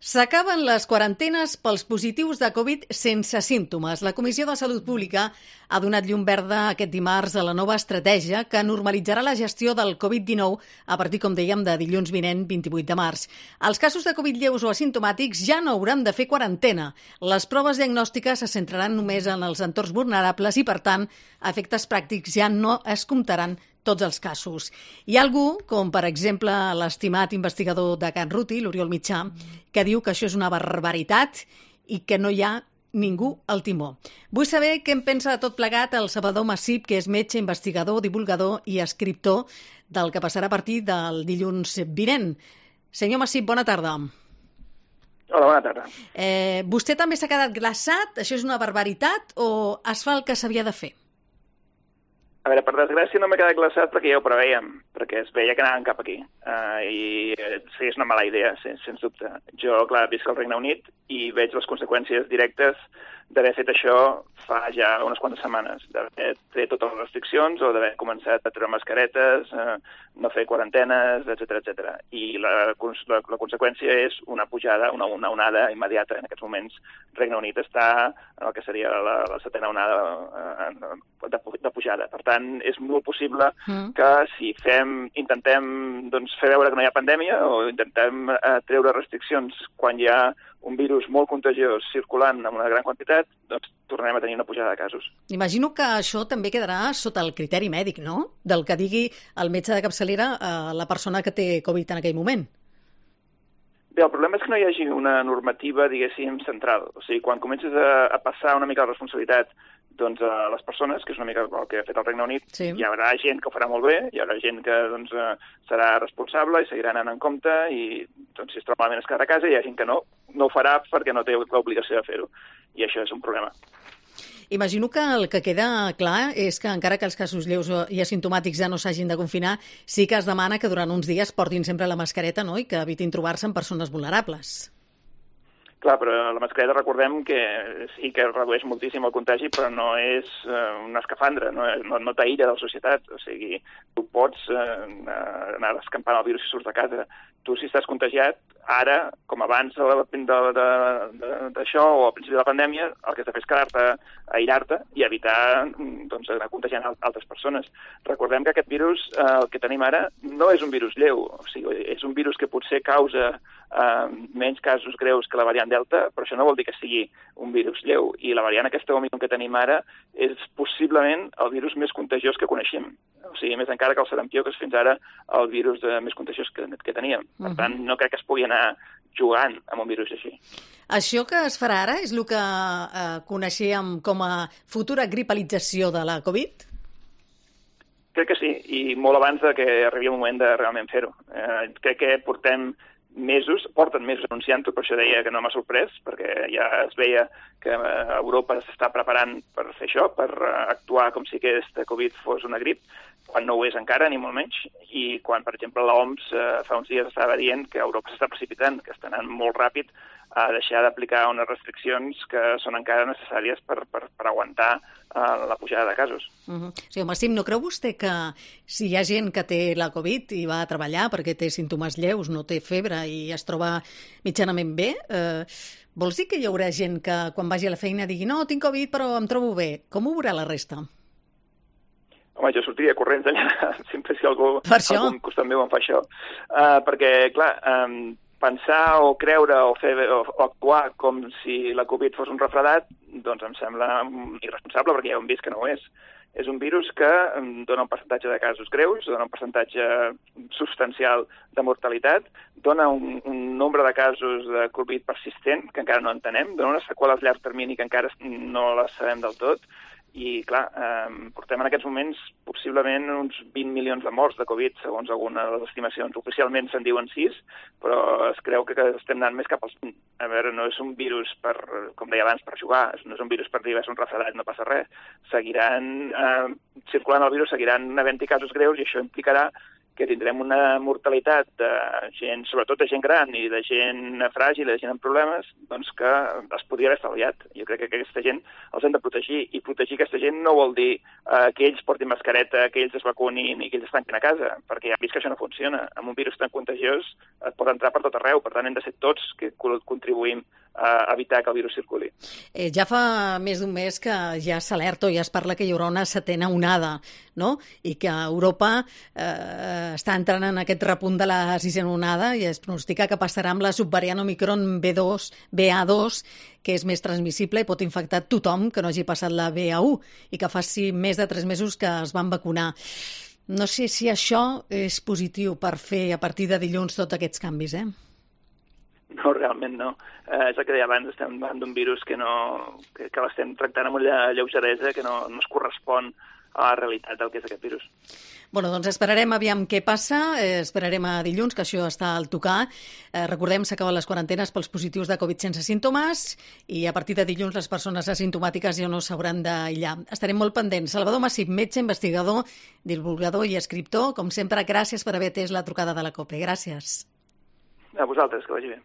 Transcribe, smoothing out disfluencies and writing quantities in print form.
S'acaben les quarantenes pels positius de Covid sense símptomes. La Comissió de Salut Pública ha donat llum verda aquest dimarts a la nova estratègia que normalitzarà la gestió del Covid-19 a partir, com dèiem, de dilluns vinent, 28 de març. Els casos de Covid lleus o asimptomàtics ja no hauran de fer quarantena. Les proves diagnòstiques se centraran només en els entorns vulnerables i, per tant, a efectes pràctics ja no es comptaran tots els casos. Hi ha algú, com per exemple l'estimat investigador de Can Ruti, l'Oriol Mitjà, que diu que això és una barbaritat i que no hi ha ningú al timó. Vull saber què en pensa de tot plegat el Salvador Massip, que és metge, investigador, divulgador i escriptor del que passarà a partir del dilluns vinent. Senyor Massip, bona tarda. Hola, bona tarda. Vostè també s'ha quedat glaçat? Això és una barbaritat o es fa el que s'havia de fer? A veure, per desgràcia no m'he quedat glaçat perquè ja ho preveiem, perquè es veia que anàvem cap aquí. I sí, és una mala idea, sens dubte. Jo, clar, visc al Regne Unit i veig les conseqüències directes d'haver fet això fa ja unes quantes setmanes, d'haver tret totes les restriccions o d'haver començat a treure mascaretes, no fer quarantenes, etc. I la conseqüència és una pujada, una onada immediata. En aquests moments, Regne Unit està en el que seria la setena onada de pujada. Per tant, és molt possible que si intentem fer veure que no hi ha pandèmia o intentem treure restriccions quan hi ha un virus molt contagiós circulant en una gran quantitat, doncs tornarem a tenir una pujada de casos. Imagino que això també quedarà sota el criteri mèdic, no? Del que digui el metge de capçalera a la persona que té Covid en aquell moment. Bé, el problema és que no hi hagi una normativa, diguéssim, central. O sigui, quan comences a passar una mica la responsabilitat a les persones, que és una mica el que ha fet el Regne Unit, sí. Hi haurà gent que ho farà molt bé, hi haurà gent que serà responsable i seguirà anant en compte i si es troba malament es quedarà a casa, i hi ha gent que no ho farà perquè no té l'obligació de fer-ho. I això és un problema. Imagino que el que queda clar és que encara que els casos lleus i asimptomàtics ja no s'hagin de confinar, sí que es demana que durant uns dies portin sempre la mascareta, no?, i que evitin trobar-se amb persones vulnerables. Clar, però la mascareta recordem que sí que redueix moltíssim el contagi, però no és una escafandra, no t'aïlla de la societat. O sigui, tu pots anar escampant el virus si surts de casa. Tu, si estàs contagiat, ara, com abans d'això o al principi de la pandèmia, el que has de fer és quedar-te, aïllar-te i evitar anar contagiant altres persones. Recordem que aquest virus, el que tenim ara, no és un virus lleu. O sigui, és un virus que potser causa menys casos greus que la variant Delta, però això no vol dir que sigui un virus lleu. I la variant aquesta Òmicron que tenim ara és possiblement el virus més contagiós que coneixem. O sigui, més encara que el sarampió, que és fins ara el virus més contagiós que teníem. Per tant, no crec que es pugui anar jugant amb un virus així. Això que es farà ara és el que coneixíem com a futura gripalització de la Covid? Crec que sí, i molt abans que arribi el moment de realment fer-ho. Crec que porten mesos anunciant-ho, per això deia que no m'ha sorprès, perquè ja es veia que Europa s'està preparant per fer això, per actuar com si aquesta Covid fos una grip, quan no ho és encara, ni molt menys, i quan, per exemple, l'OMS fa uns dies estava dient que Europa s'està precipitant, que està anant molt ràpid a deixar d'aplicar unes restriccions que són encara necessàries per aguantar la pujada de casos. Sí, home, Sim, no creu vostè que si hi ha gent que té la Covid i va a treballar perquè té símptomes lleus, no té febre i es troba mitjanament bé, vols dir que hi haurà gent que quan vagi a la feina digui no, tinc Covid però em trobo bé? Com ho veurà la resta? Home, jo sortiria corrents allà, sempre si algú al costat meu em fa això. Perquè, clar, pensar o creure o actuar com si la Covid fos un refredat, doncs em sembla irresponsable, perquè ja hem vist que no ho és. És un virus que dona un percentatge de casos greus, dona un percentatge substancial de mortalitat, dona un nombre de casos de Covid persistent, que encara no entenem, dona unes seqüeles a llarg termini que encara no les sabem del tot, i, clar, portem en aquests moments possiblement uns 20 milions de morts de Covid, segons alguna de les estimacions. Oficialment se'n diuen 6, però es creu que estem anant més cap als 20. A veure, no és un virus com deia abans, per jugar, no és un virus per dir és un refredat, no passa res. Seguiran circulant el virus, seguiran havent-hi casos greus, i això implicarà que tindrem una mortalitat de gent, sobretot de gent gran i de gent fràgil, de gent amb problemes, doncs que es podria haver estalviat. Jo crec que aquesta gent els hem de protegir, i protegir aquesta gent no vol dir que ells portin mascareta, que ells es vacunin i que ells es tanquin a casa, perquè ja hem vist que això no funciona. Amb un virus tan contagiós et pot entrar per tot arreu, per tant hem de ser tots que contribuïm a evitar que el virus circuli. Ja fa més d'un mes que ja s'alerta o ja es parla que hi haurà una setena onada, no? I que Europa està entrant en aquest repunt de la sisena onada i es pronostica que passarà amb la subvariant Omicron BA2, que és més transmissible i pot infectar tothom que no hagi passat la BA1 i que faci més de 3 mesos que es van vacunar. No sé si això és positiu per fer a partir de dilluns tots aquests canvis, No, realment no. És el que deia abans, estem davant d'un virus que l'estem tractant amb una lleugeresa que no es correspon a la realitat del que és aquest virus. Bueno, doncs esperarem aviam què passa, esperarem a dilluns, que això està al tocar. Recordem, s'acaben les quarantenes pels positius de Covid sense símptomes i a partir de dilluns les persones asimptomàtiques ja no s'hauran d'aïllar. Estarem molt pendents. Salvador Massip, metge, investigador, divulgador i escriptor, com sempre, gràcies per haver atès la trucada de la COPE. Gràcies. A vosaltres, que vagi bé.